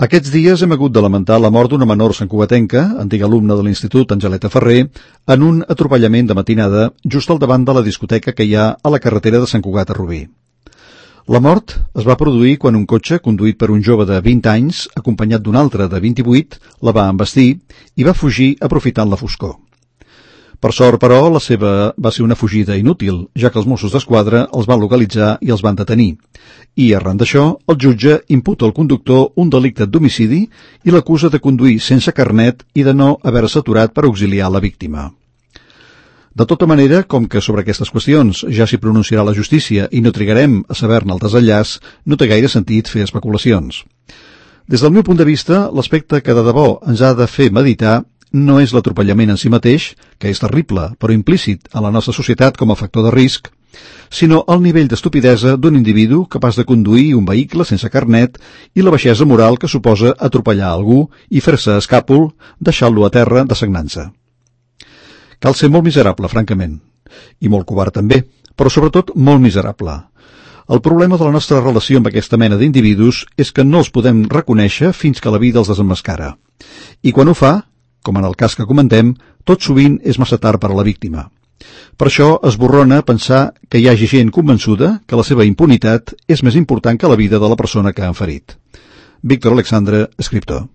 Aquests dies hem hagut de lamentar la mort d'una menor santcugatenca, antiga alumna de l'Institut Angeleta Ferrer, en un atropellament de matinada just al davant de la discoteca que hi ha a la carretera de Sant Cugat a Rubí. La mort es va produir quan un cotxe conduït per un jove de 20 anys, acompanyat d'un altre de 28, la va embestir i va fugir aprofitant la foscor. Per sort, però, la seva va ser una fugida inútil, ja que els Mossos d'Esquadra els van localitzar i els van detenir. I, arran d'això, el jutge imputa al conductor un delicte d'homicidi i l'acusa de conduir sense carnet i de no haver-se aturat per auxiliar la víctima. De tota manera, com que sobre aquestes qüestions ja s'hi pronunciarà la justícia i no trigarem a saber-ne el desenllaç, no té gaire sentit fer especulacions. Des del meu punt de vista, l'aspecte que de debò ens ha de fer meditar no és l'atropellament en si mateix, que és terrible, però implícit a la nostra societat com a factor de risc, sinó el nivell d'estupidesa d'un individu capaç de conduir un vehicle sense carnet i la baixesa moral que suposa atropellar algú i fer-se escàpol, deixant-lo a terra dessagnant-se. Cal ser molt miserable, francament, i molt covard també, però sobretot molt miserable. El problema de la nostra relació amb aquesta mena d'individus és que no els podem reconèixer fins que la vida els desemmascara. I quan ho fa, com en el cas que comentem, tot sovint és massa tard per a la víctima. Per això esborrona pensar que hi hagi gent convençuda que la seva impunitat és més important que la vida de la persona que han ferit. Víctor Alexandre, escriptor.